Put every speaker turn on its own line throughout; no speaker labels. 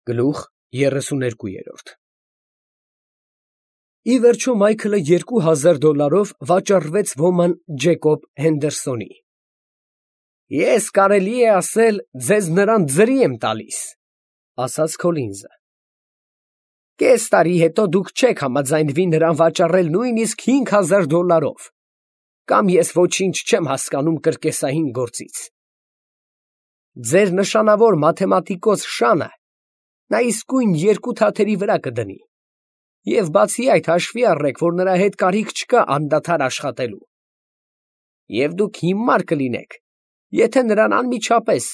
Գլուխ 32 Ի վերջո Մայքլը $2000 վաճառվեց ոման Ջեկոբ Հենդերսոնի։ Ես կարելի է ասել, ձեզ նրան ձրի եմ տալիս, ասաց Քոլինզը։ Կես տարի հետո դուք չեք համաձայնվի նրան վաճառել նույնիսկ $5000, կամ ես ոչինչ չեմ հասկանում կրկեսային գործից։ Ձեր նշանավոր մաթեմատիկոս Շանը նա իսկույն 2 թաթերի վրա կդնի, և բացի այդ հաշվի առեք, որ նրա հետ կարիք չկա անդադար աշխատելու։ Եվ դուք հիմար կլինեք, եթե նրան անմիջապես,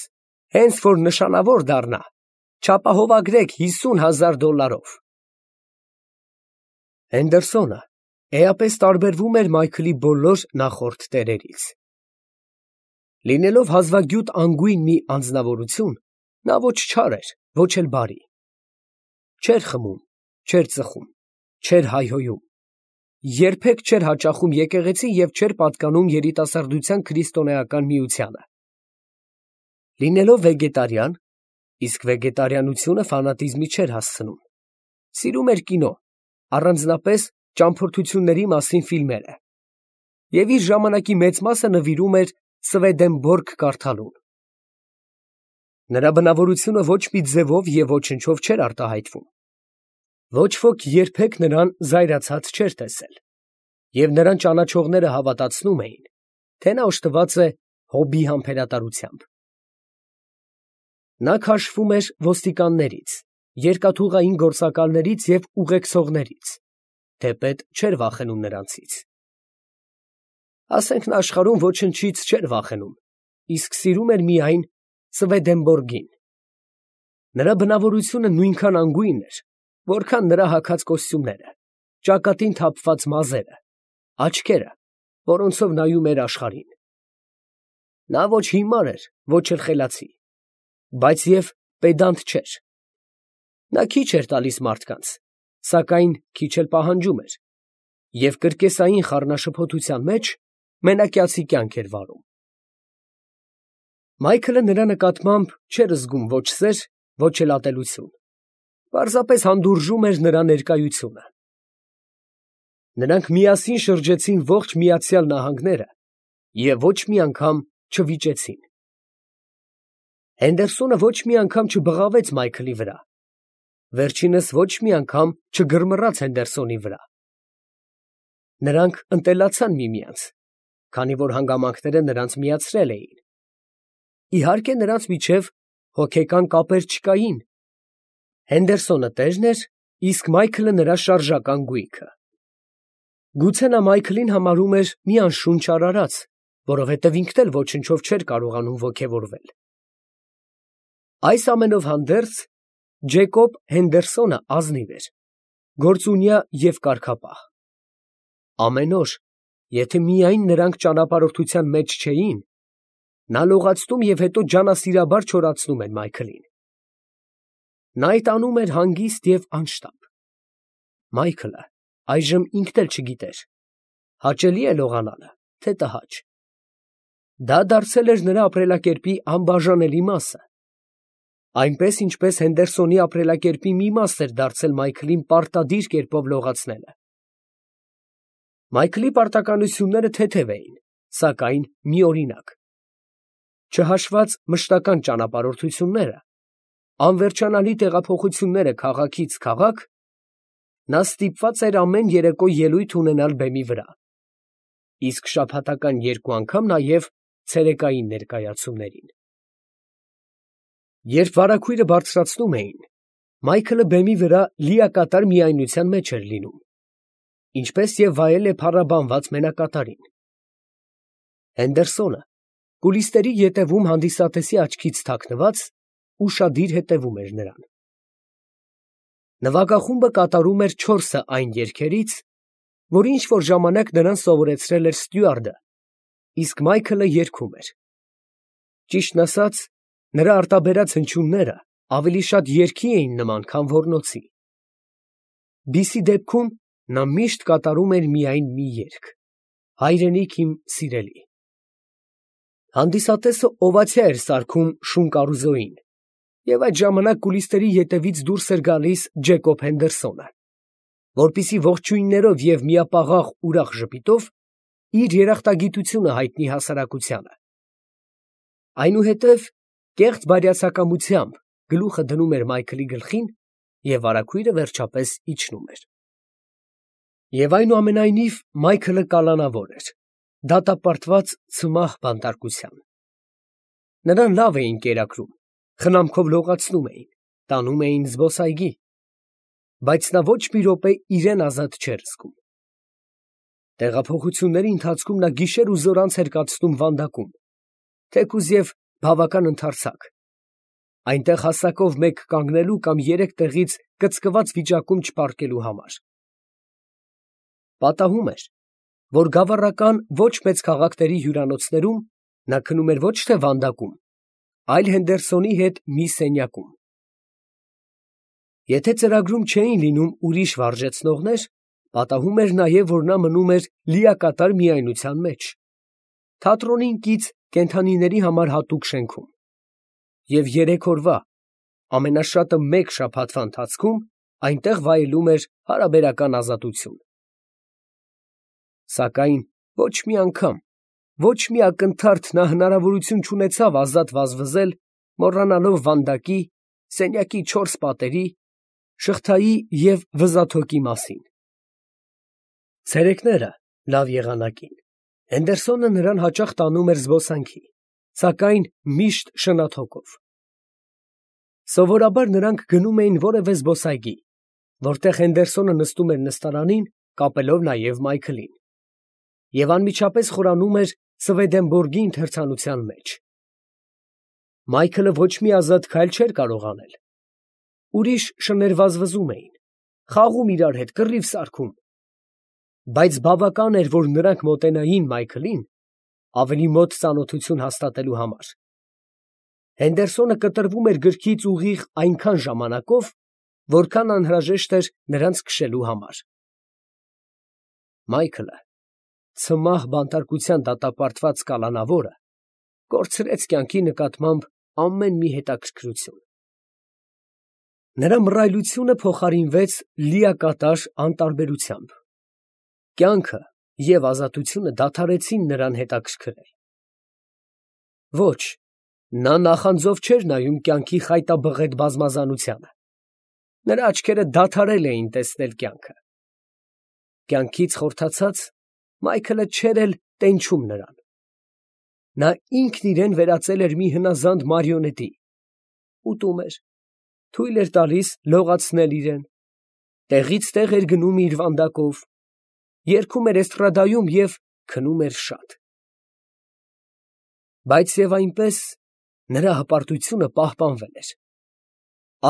հենց որ նշանավոր դառնա, չապահովագրեք $50000։ Հենդերսոնը էապես տարբերվում էր Մայքլի բոլոր նախորդ տերերից։ Լինելով հազվագյուտ անգույն մի անձնավորություն, նա ոչ չար էր, ոչ էլ բարի։ Չէր խմում, չէր ծխում, չէր հայհոյում, երբեք չէր հաճախում եկեղեցի և չէր պատկանում երիտասարդության քրիստոնեական միությանը։ Լինելով վեգետարիան, իսկ վեգետարիանությունը ֆանատիզմի չէր հասցնում, սիրում էր կինո, առանձնապես ճամփորդությունների մասին ֆիլմերը, և իր ժամանակի մեծ մասը նվիրում էր Սվեդենբորգ կարդալուն։ Նրա բնավորությունը ոչ մի ձևով և ոչնչով չէր արտահայտվում։ Ոչ ոք երբեք նրան զայրացած չէր տեսել, և նրան ճանաչողները հավատացնում էին, թե նա օժտված է հոբբի համբերատարությամբ։ Նա քաշվում էր ոստիկաններից, երկաթուղային գործակալներից և ուղեկցողներից, թեպետ չէր վախենում նրանցից։ Ասենք նա աշխարհում ոչնչից չէր վախենում, իսկ սիրում էր միայն Սվեդենբորգին։ Նրա բնավորությունը նույնքան անգույն էր, որքան նրա հագած կոստյումները, ճակատին թափված մազերը, աչքերը, որոնցով նայում էր աշխարհին։ Նա ոչ հիմար էր, ոչ էլ խելացի, բայց և պեդանտ չէր։ Նա քիչ էր տալիս մարդկանց, սակայն քիչ էլ պահանջում էր, և կրկեսային խառնաշփոթության մեջ մենակյացի կյանք էր վարում։ Մայքլը նրա նկատմամբ չէր զգում ոչ սեր, ոչ էլ ատելություն, պարզապես հանդուրժում էր նրա ներկայությունը։ Նրանք միասին շրջեցին ողջ Միացյալ Նահանգները և ոչ մի անգամ չվիճեցին։ Հենդերսոնը ոչ մի անգամ չբղավեց Մայքլի վրա, վերջինս ոչ մի անգամ չգռմռաց Հենդերսոնի վրա։ Նրանք ընտելացան միմյանց, քանի որ հանգամանքները նրանց միացրել էին։ Իհարկե, նրանց միջև հոգեկան կապեր չկային։ Հենդերսոնը տերն էր, իսկ Մայքլը նրա շարժական գույքը։ Գուցե նա Մայքլին համարում էր մի անշունչ արարած, որովհետև ինքն էլ ոչնչով չէր կարողանում ոգևորվել։ Այս ամենով հանդերձ, Ջեկոբ Հենդերսոնը ազնիվ էր, գործունյա և կարգապահ։ Ամեն օր, եթե միայն նրանք ճանապարհորդության մեջ չէին, նա լողացնում և հետո ջանասիրաբար չորացնում էր Մայքլին։ Նա այդ անում էր հանգիստ և անշտապ։ Մայքլը այժմ ինքն էլ չգիտեր՝ հաճելի է լողանալը, թե տհաճ։ Դա դարձել էր նրա ապրելակերպի անբաժանելի մասը, այնպես, ինչպես Հենդերսոնի ապրելակերպի մի մաս էր դարձել Մայքլին պարտադիր կերպով լողացնելը։ Մայքլի պարտականությունները թեթև էին, սակայն միօրինակ։ Չհաշված մշտական ճանապարհորդությունները, անվերջանալի տեղափոխությունները քաղաքից քաղաք, նա ստիպված էր ամեն երեկո ելույթ ունենալ բեմի վրա, իսկ շաբաթական 2 անգամ նաև ցերեկային ներկայացումներին։ Երբ վարագույրը բարձրացնում էին, Մայքլը բեմի վրա լիակատար միայնության մեջ էր լինում, ինչպես և վայել է փառաբանված մենակատարին։ Հենդերսոնը, կուլիսների ետևում հանդիսատեսի աչքից թաքնված, ուշադիր հետևում էր նրան։ Նվագախումբը կատարում էր 4 այն երգերից, որ ինչ֊որ ժամանակ նրան սովորեցրել էր ստյուարդը, իսկ Մայքլը երգում էր։ Ճիշտն ասած, նրա արտաբերած հնչյունները ավելի շատ երգի էին նման, քան ոռնոցի։ Բիսի դեպքում նա միշտ կատարում էր միայն մի երգ՝ «Հայրենիք իմ սիրելի»։ Հանդիսատեսը օվացիա էր սարքում շուն կարուզոյին, Եվ այդ ժամանակ կուլիսների ետևից դուրս էր գալիս Ջեկոբ Հենդերսոնը, որպեսզի ողջույններով և միապաղաղ ուրախ ժպիտով իր երախտագիտությունը հայտնի հասարակությանը։ Այնուհետև կեղծ բարյացակամությամբ գլուխը դնում էր Մայքլի գլխին և վարագույրը վերջապես իջնում էր։ Եվ այնուամենայնիվ Մայքլը կալանավոր էր, դատապարտված ցմահ բանտարկության։ Նրան լավ էին կերակրում, խնամքով լողացնում էին, տանում էին զբոսայգի, բայց նա ոչ մի րոպե իրեն ազատ չէր զգում։ Տեղափոխությունների ընթացքում նա գիշեր ու զօր անց էր կացնում Վանդակում, թեկուզ և բավական ընդարձակ, այնտեղ հասակով մեկ կանգնելու կամ երեք տեղից կծկված վիճակում չպառկելու համար։ Պատահում էր, որ գավառական ոչ մեծ քաղաքների հյուրանոցներում նա քնում էր ոչ թե Վանդակում, այլ Հենդերսոնի հետ մի սենյակում։ Եթե ծրագրում չէին լինում ուրիշ վարժեցնողներ, պատահում էր նաև, որ նա մնում էր լիակատար միայնության մեջ, թատրոնին կից կենդանիների համար հատուկ շենքում, և 3 օրվա, ամենաշատը մեկ շաբաթվա ընթացքում այնտեղ վայելում էր հարաբերական ազատություն։ Սակայն ոչ մի անգամ, ոչ մի ակնթարթ նա հնարավորություն չունեցավ ազատ վազվզել, մոռանալով Վանդակի, սենյակի 4 պատերի, շղթայի և վզաթոկի մասին։ Ցերեկները լավ եղանակին Հենդերսոնը նրան հաճախ տանում էր զբոսանքի, սակայն միշտ շնաթոկով։ Սովորաբար նրանք գնում էին որևէ զբոսայգի, որտեղ Հենդերսոնը նստում էր նստարանին, կապելով նաև Մայքլին, և անմիջապես խորանում էր Սվեդենբորգի ընթերցանության մեջ։ Մայքլը ոչ մի ազատ քայլ չէր կարող անել։ Ուրիշ շներ վազվզում էին, խաղում իրար հետ, կռիվ սարքում, բայց բավական էր, որ նրանք մոտենային Մայքլին, ավելի մոտ ծանոթություն հաստատելու համար։ Հենդերսոնը կտրվում էր գրքից ուղիղ այնքան ժամանակով, որքան անհրաժեշտ էր նրանց քշելու համար։ Մայքլը, ցմահ բանտարկության դատապարտված կալանավորը, կորցրեց կյանքի նկատմամբ ամեն մի հետաքրքրություն։ Նրա մռայլությունը փոխարինվեց լիակատար անտարբերությամբ։ Կյանքը և ազատությունը դադարեցին նրան հետաքրքրել։ Ոչ, նա նախանձով չէր նայում կյանքի խայտաբղետ բազմազանությանը։ Նրա աչքերը դադարել էին տեսնել կյանքը։ Կյանքից խորթացած, Մայքլը չէր էլ տենչում նրան։ Նա ինքն իրեն վերածել էր մի հնազանդ մարիոնետի, ուտում էր, թույլ էր տալիս լողացնել իրեն, տեղից տեղ էր գնում իր վանդակով, երգում էր էստրադայում և քնում էր շատ։ Բայց և այնպես նրա հպարտությունը պահպանվել էր,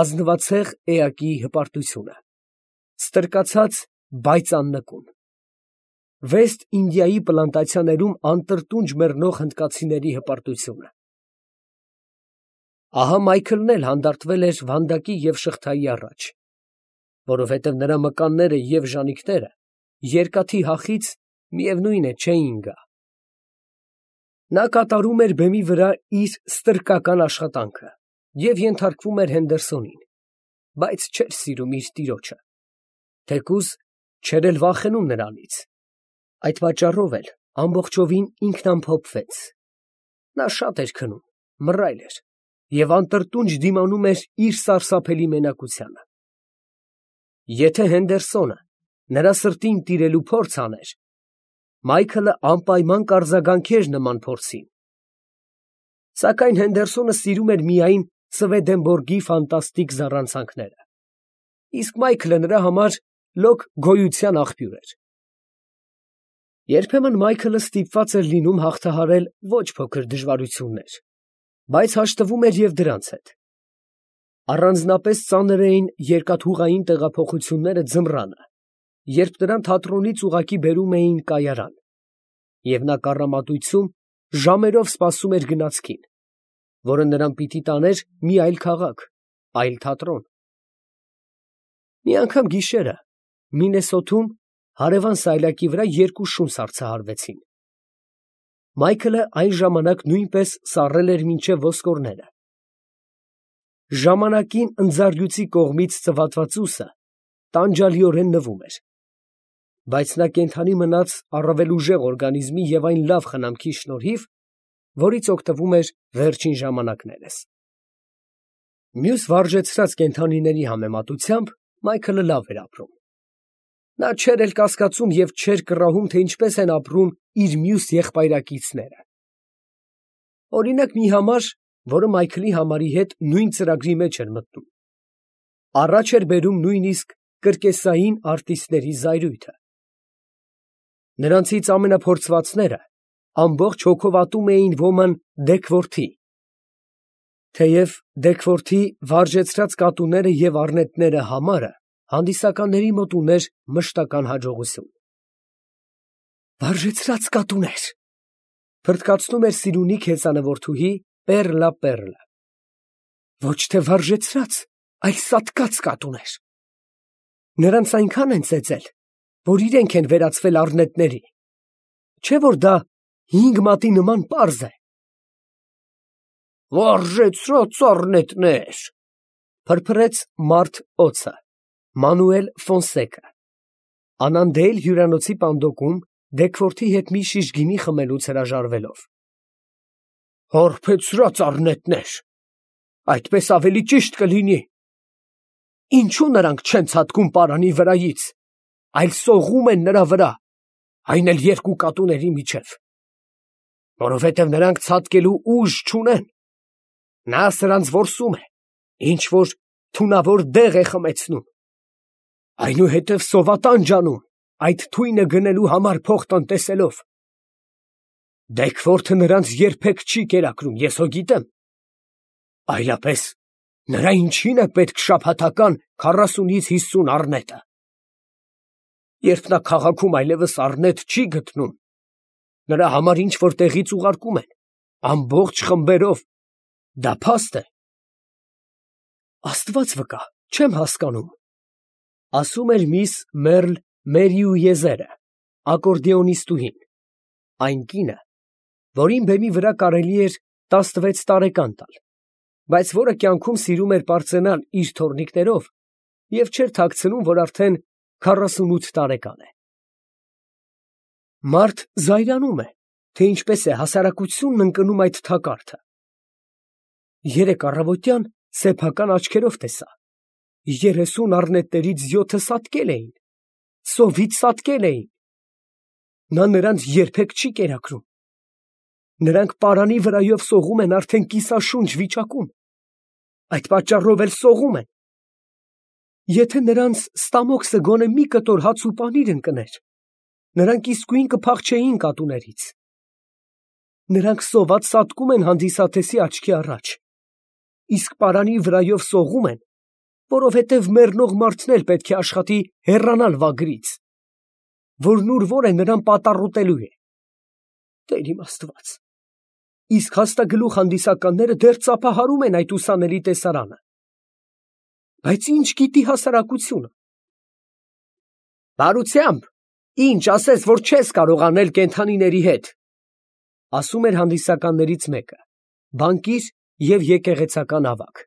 ազնվացեղ էակի հպարտությունը, ստրկացած, բայց աննկուն, Վեստ Ինդիայի պլանտացիաներում անտրտունջ մեռնող հնդկացիների հպարտությունը։ Ահա Մայքլն էլ հանդարտվել էր Վանդակի և շղթայի առաջ, որովհետև նրա մկանները և ժանիքները երկաթի հախից, միևնույն է, չէին գա։ Նա կատարում էր բեմի վրա իր ստրկական աշխատանքը և ենթարկվում էր Հենդերսոնին, բայց չէր սիրում իր տիրոջը, թեկուզ չէր էլ վախենում նրանից։ Այդ պատճառով էլ ամբողջովին ինքնամփոփվեց։ Նա շատ էր քնում, մռայլ էր և անտրտունջ դիմանում էր իր սարսափելի մենակությանը։ Եթե Հենդերսոնը նրա սրտին տիրելու փորձ աներ, Մայքլը անպայման կարձագանքեր նման փորձին։ Սակայն Հենդերսոնը սիրում էր միայն Սվեդենբորգի ֆանտաստիկ զառանցանքները, իսկ Մայքլը նրա համար լոկ գոյության աղբյուր էր։ Երբեմն Մայքլը ստիպված էր լինում հաղթահարել ոչ փոքր դժվարություններ, բայց հաշտվում էր և դրանց հետ։ Առանձնապես ծանր էին երկաթուղային տեղափոխությունները ձմռանը, երբ նրան թատրոնից ուղղակի բերում էին կայարան, և նա կառամատույցում ժամերով սպասում էր գնացքին, որը նրան պիտի տաներ մի այլ քաղաք, այլ թատրոն։ Մի անգամ գիշերը Մինեսոթում հարևան սայլակի վրա 2 շուն սառցահարվեցին։ Մայքլը այն ժամանակ նույնպես սառել էր մինչև ոսկորները։ ժամանակին ընձառյուծի կողմից ծվատվածուսը տանջալիորեն նվում էր, բայց նա կենդանի մնաց առավել ուժեղ օրգանիզմի և այն լավ խնամքի շնորհիվ, որից օգտվում էր վերջին ժամանակներս։ Մյուս վարժեցրած կենդանիների համեմատությամբ Մայքլը լավ էր ապրում։ Նա չէր էլ կասկածում և չէր կռահում, թե ինչպես են ապրում իր մյուս եղբայրակիցները։ Օրինակ մի համար, որը Մայքլի համարի հետ նույն ծրագրի մեջ էր մտնում, առաջ էր բերում նույնիսկ կրկեսային արտիստների զայրույթը։ Նրանցից ամենափորձվածները ամբողջ հոգով ատում էին ոման Դեքվորթի, թեև Դեքվորթի վարժեցրած կատուները և առնետները համարը հանդիսականների մոտ ուներ մշտական հաջողություն։ «Վարժեցրած կատուներ», փրթկացնում էր Սիրունի քեծանվորդուհի Պեռլը։ «Ոչ թե վարժեցրած, այլ սատկած կատուներ։ Նրանց այնքան են ծեծել, որ իրենք են վերածվել առնետների, չէ՞ որ դա 5 մատի նման պարզ է»։ «Վարժեցրած առնետներ», փրփրեց մարդ օձը, Մանուել Ֆոնսեկը, Անանդեել հյուրանոցի պանդոկում Դեքվորթի հետ մի շիշ գինի խմելուց հրաժարվելով։ «Հարբեցրած առնետներ, այդպես ավելի ճիշտ կլինի։ Ինչո՞ւ նրանք չեն ցատկում պարանի վրայից, այլ սողում են նրա վրա, այն էլ 2 կատուների միջև։ Որովհետև նրանք ցատկելու ուժ չունեն։ Նա սրանց որսում է, ինչ որ թունավոր դեղ է խմեցնում, այնուհետև սովատանջ անում, այդ թույնը գնելու համար փող տնտեսելով։ Դեքվորթը նրանց երբեք չի կերակրում, ես հո գիտեմ։ Այլապես նրա ինչին է պետք շաբաթական 40-ից 50 առնետը։ Երբ նա քաղաքում այլևս առնետ չի գտնում, նրա համար ինչ որ տեղից ուղարկում են, ամբողջ խմբերով, դա փաստ է»։ «Աստված վկա, չեմ հասկանում», ասում էր միս Մերլ Մերիուեզերը, ակորդեոնիստուհին, այն կինը, որին բեմի վրա կարելի էր 16 տարեկան տալ, բայց որը կյանքում սիրում էր պարծենալ իր թոռնիկներով և չէր թաքցնում, որ արդեն 48 տարեկան է։ Մարդ զայրանում է, թե ինչպես է հասարակությունն ընկնում այդ թակարդը։ Երեկ առավոտյան սեփական աչքերով տեսա, 30 առնետներից 7-ը սատկել էին, սովից սատկել էին։ Նա նրանց երբեք չի կերակրում։ Նրանք պարանի վրայով սողում են արդեն կիսաշունչ վիճակում, այդ պատճառով էլ սողում են։ Եթե նրանց ստամոքսը գոնե մի կտոր հաց ու պանիր ընկներ, նրանք իսկույն կփախչեին կատուներից։ Նրանք սոված սատկում են հանդիսատեսի աչքի առաջ, իսկ պարանի վրայով սողում են, որովհետև մեռնող մարդն էլ պետք է աշխատի հեռանալ վագրից, որն ուր որ է նրան պատառոտելու է։ Տեր իմ Աստված, իսկ հաստագլուխ հանդիսականները դեռ ծափահարում են այդ ուսանելի տեսարանը։ Բայց ինչ գիտի հասարակությունը։ «Բարությամբ, ինչ ասես, որ չես կարող անել կենդանիների հետ», ասում էր հանդիսականներից մեկը, բանկիր և եկեղեցական ավագ։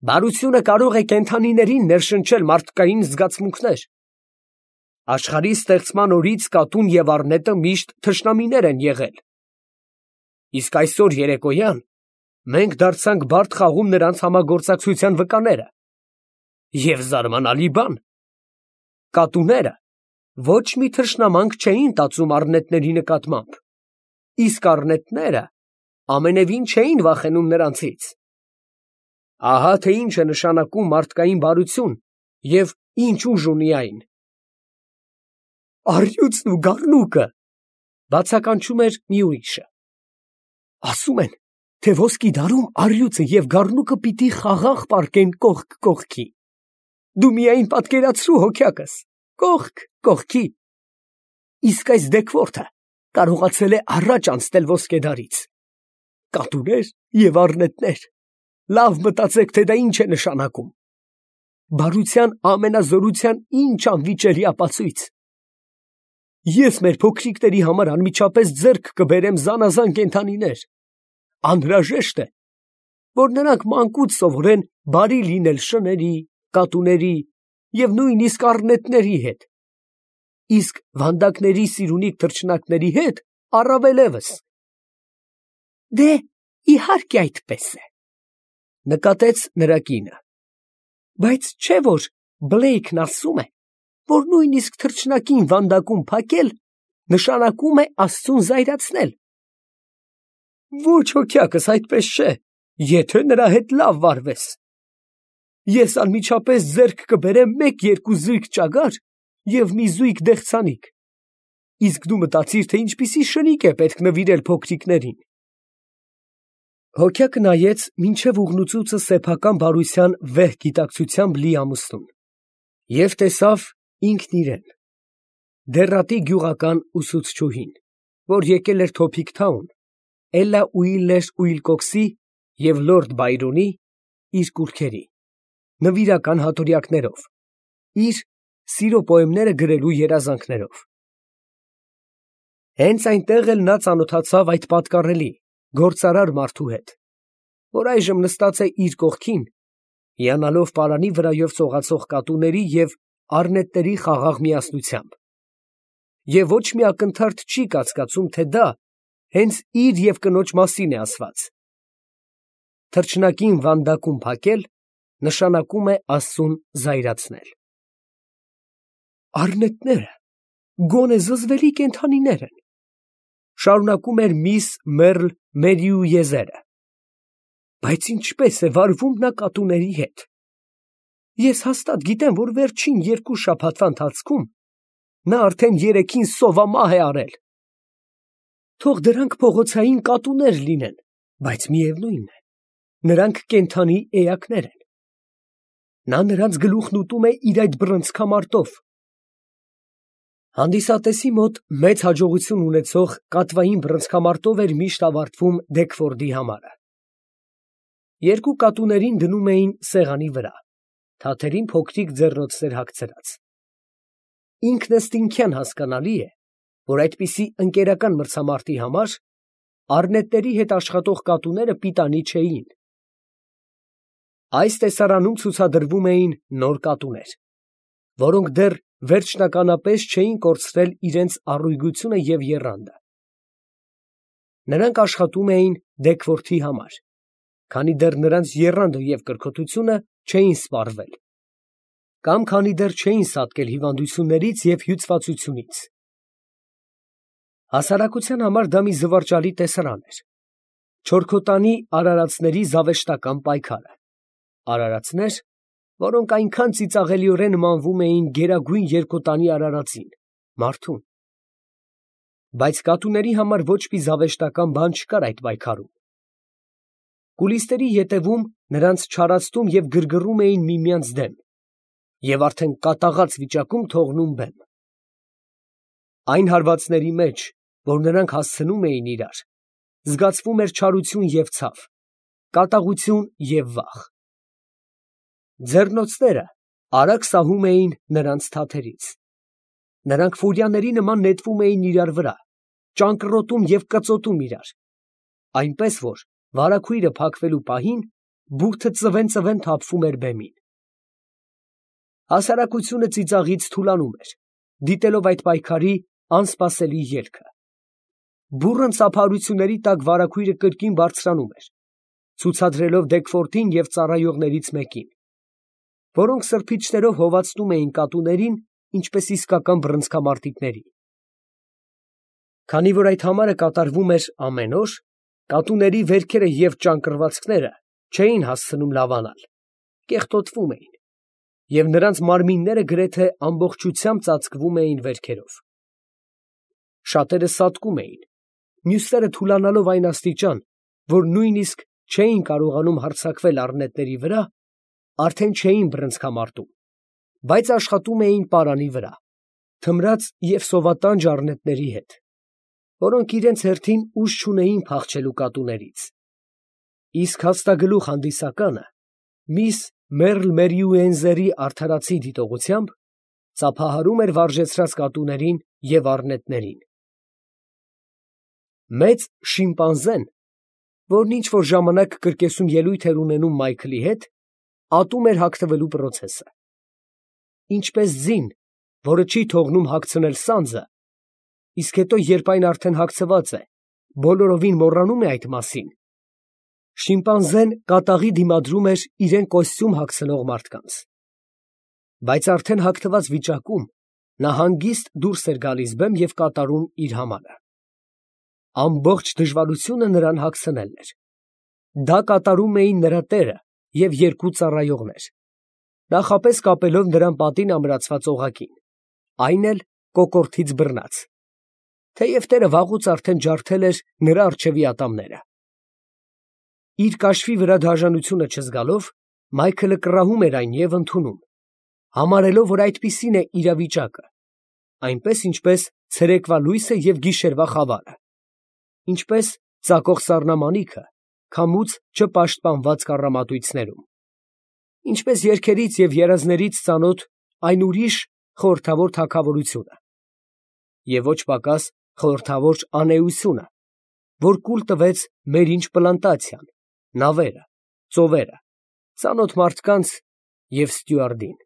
«Բարությունը կարող է կենդանիներին ներշնչել մարդկային զգացմունքներ։ Աշխարհի ստեղծման օրից կատուն և առնետը միշտ թշնամիներ են եղել։ Իսկ այսօր երեկոյան մենք դարձանք բարդ խաղում նրանց համագործակցության վկաները։ Եվ զարմանալի բան, կատուները ոչ մի թշնամանք չէին տածում առնետների նկատմամբ, իսկ առնետները ամենևին չէին վախենում նրանցից։ Ահա թե ինչ է նշանակում մարդկային բարություն և ինչ ուժ ունի այն»։ «Առյուծն ու գառնուկը», բացականչում էր մի ուրիշը, «ասում են, թե ոսկի դարում առյուծը և գառնուկը պիտի խաղաղ պառկեն կողք կողքի։ Դու միայն պատկերացրու, հոգյակս, կողք կողքի։ Իսկ այս Դեքվորթը կարողացել է առաջ անցնել ոսկեդարից։ Կատուներ և առնետներ, լավ մտածեք, թե դա ինչ է նշանակում։ Բարության ամենազորության ինչ անվիճելի ապացույց։ Ես մեր փոքրիկների համար անմիջապես ձեռք կբերեմ զանազան կենդանիներ։ Անհրաժեշտ է, որ նրանք մանկուց սովորեն բարի լինել շների, կատուների և նույնիսկ առնետների հետ, իսկ վանդակների սիրունիկ թռչնակների հետ առավելևս։ Դե, իհարկե այդպես է, նկատեց նրա կինը, բայց չէ՞ որ Բլեյքն ասում է, որ նույնիսկ թռչնակին վանդակում փակել նշանակում է Աստծուն զայրացնել։ Ոչ հոգյակս այդպես չէ, եթե նրա հետ լավ վարվես։ Ես անմիջապես ձեռք կբերեմ 1-2 զույգ ճագար և մի զույգ դեղցանիկ, իսկ դու մտածիր, թե ինչպիսի շնիկ է պետք նվիրել փոքրիկներին։ Հոգյակը նայեց մինչև ուղնուցուցը սեփական բարության վեհ գիտակցությամբ լի ամուսնուն և տեսավ ինքն իրեն, դեռատի գյուղական ուսուցչուհին, որ եկել էր Թոփիկ Թաուն, Էլլա Ուիլլեր Ուիլկոքսի և լորդ Բայրոնի իր կուռքերի, նվիրական հատորյակներով, իր սիրո պոեմները գրելու երազանքներով։ Հենց այնտեղ էլ նա ծանոթացավ այդ պատկառելի, գործարար մարդու հետ, որ այժմ նստած է իր կողքին, հիանալով պարանի վրայով ծողացող կատուների և առնետների խաղաղ միասնությամբ, և ոչ մի ակնթարթ չի կասկածում, թե դա հենց իր և կնոջ մասին է ասված։ Թռչնակին վանդակում փակել նշանակում է Աստծուն զայրացնել։ Առնետները գոնե զզվելի կենդանիներ են, շարունակում էր միս Մերլ Մերիուեզերը, բայց ինչպես է վարվում նա կատուների հետ։ Ես հաստատ գիտեմ, որ վերջին 2 շաբաթվա ընթացքում նա արդեն 3-ին սովամահ է արել։ Թող դրանք փողոցային կատուներ լինեն, բայց միևնույն է, նրանք կենդանի էակներ են։ Նա նրանց գլուխն ուտում է իր այդ բռնցքամարտով։ Հանդիսատեսի մոտ մեծ հաջողություն ունեցող կատվային բռնցքամարտով էր միշտ ավարտվում Դեքֆորդի համարը։ 2 կատուներին դնում էին սեղանի վրա, թաթերին փոքրիկ ձեռնոցներ հագցրած։ Ինքնըստինքյան հասկանալի է, որ այդպիսի ընկերական մրցամարտի համար առնետների հետ աշխատող կատուները պիտանի չէին։ Այս տեսարանում ցուցադրվում էին նոր կատուներ, որոնք դեռ վերջնականապես չէին կորցրել իրենց առույգությունը և եռանդը։ Նրանք աշխատում էին Դեքֆորդի համար, քանի դեռ նրանց եռանդը և կրքոտությունը չէին սպառվել, կամ քանի դեռ չէին սատկել հիվանդություններից և հյուծվածությունից։ Հասարակության համար դա մի զվարճալի տեսարան էր։ Չորքոտանի արարածների զավեշտական պայքարը, արարածներ, որոնք այնքան ծիծաղելիորեն նմանվում էին գերագույն երկոտանի արարածին, մարդուն։ Բայց կատուների համար ոչ մի զավեշտական բան չկար այդ պայքարում։ Կուլիսների ետևում նրանց չարացնում և գրգռում էին միմյանց դեմ և արդեն կատաղած վիճակում թողնում բեմ։ Այն հարվածների մեջ, որ նրանք հասցնում էին իրար, զգացվում էր չարություն և ցավ, կատաղություն և վախ։ Ձեռնոցները արագ սահում էին նրանց թաթերից։ Նրանք ֆուրիաների նման նետվում էին իրար վրա, ճանկռոտում և կծոտում իրար, այնպես որ վարագույրը փակվելու պահին բուրդը ծվեն թափվում էր բեմին։ Հասարակությունը ծիծաղից թուլանում էր, դիտելով այդ պայքարի անսպասելի ելքը։ Բուռն ծափարությունների տակ վարագույրը կրկին բարձրանում էր, ցուցադրելով Դեքֆորդին և ծառայողներից մեկին, որոնք սրբիչներով հովացնում էին կատուներին, ինչպես իսկական բռնցքամարտիկների։ Քանի որ այդ համարը կատարվում էր ամեն օր, կատուների վերքերը և ճանկռվածքները չէին հասցնում լավանալ, կեղտոտվում էին, և նրանց մարմինները գրեթե ամբողջությամբ ծածկվում էին վերքերով։ Շատերը սատկում էին, մյուսները թուլանալով այն աստիճան, որ նույնիսկ չէին կարողանում հարձակվել առնետների վրա, արդեն չէին բռնցքամարտում, բայց աշխատում էին պարանի վրա, թմրած և սովատանջ առնետների հետ, որոնք իրենց հերթին ուժ չունեին փախչելու կատուներից։ Իսկ հաստագլուխ հանդիսականը միս Մերլ Մերիուենզերի արդարացի դիտողությամբ ծափահարում էր վարժեցրած կատուներին և առնետներին։ Մեծ շիմպանզեն որն ինչ որ ժամանակ կրկեսում ելույթ էր ունենում Մայքլի հետ, ատում էր հագնվելու պրոցեսը։ Ինչպես ձին, որը չի թողնում հագցնել սանձը, իսկ հետո, երբ այն արդեն հագցված է, բոլորովին մոռանում է այդ մասին, շիմպանզեն կատաղի դիմադրում էր իրան կոստյում հագցնող մարդկանց։ Բայց արդեն հագնված վիճակում նա հանգիստ դուրս էր գալիս բեմ և կատարում իր համարը։ Ամբողջ դժվարությունը նրան հագցնելն էր։ Դա կատարում էին նրա տերը և երկու ծառայողներ, նախապես կապելով նրան պատին ամրացված օղակին, այն էլ կոկորդից բռնած, թեև տերը վաղուց արդեն ջարդել էր նրա առջևի ատամները։ Իր կաշվի վրա դաժանությունը չզգալով, Մայքլը կռահում էր այն և ընդունում, համարելով, որ այդպիսին է իրավիճակը, այնպես, ինչպես ցերեկվա լույսը և գիշերվա խավարը, ինչպես ծակող սառնամանիքը քամուց չպաշտպանված կառամատույցներում, ինչպես երգերից և երազներից ծանոթ այն ուրիշ խորհրդավոր թագավորությունը, և ոչ պակաս խորհրդավոր անէությունը, որ կուլ տվեց Մերինչ պլանտացիան, նավերը, ծովերը, ծանոթ մարդկանց և ստյուարդին։